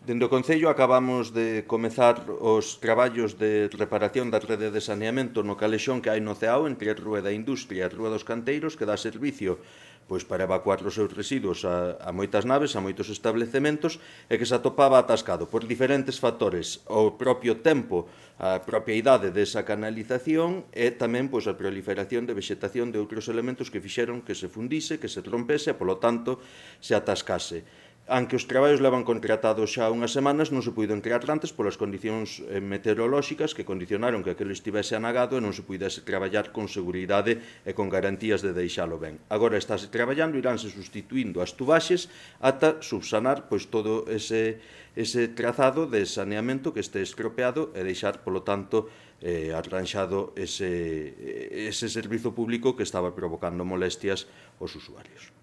Dende o Concello acabamos de comezar os traballos de reparación da rede de saneamento no calexón que hai no Ceao entre a Rúa da Industria e a Rúa dos Canteiros, que dá servicio para evacuar os seus residuos a moitas naves, a moitos establecementos, e que se atopaba atascado por diferentes factores, o propio tempo, a propia idade desa canalización e tamén a proliferación de vegetación de outros elementos que fixeron que se fundise, que se rompese e, polo tanto, se atascase. Aunque os traballos levan contratados xa unhas semanas, non se puido crear antes polas condicións meteorolóxicas que condicionaron que aquilo estivese anagado e non se puidese traballar con seguridade e con garantías de deixalo ben. Agora estáse traballando, iránse sustituindo as tubaxes ata subsanar todo ese trazado de saneamento que este estropeado e deixar, polo tanto, arranxado ese servizo público que estaba provocando molestias aos usuarios.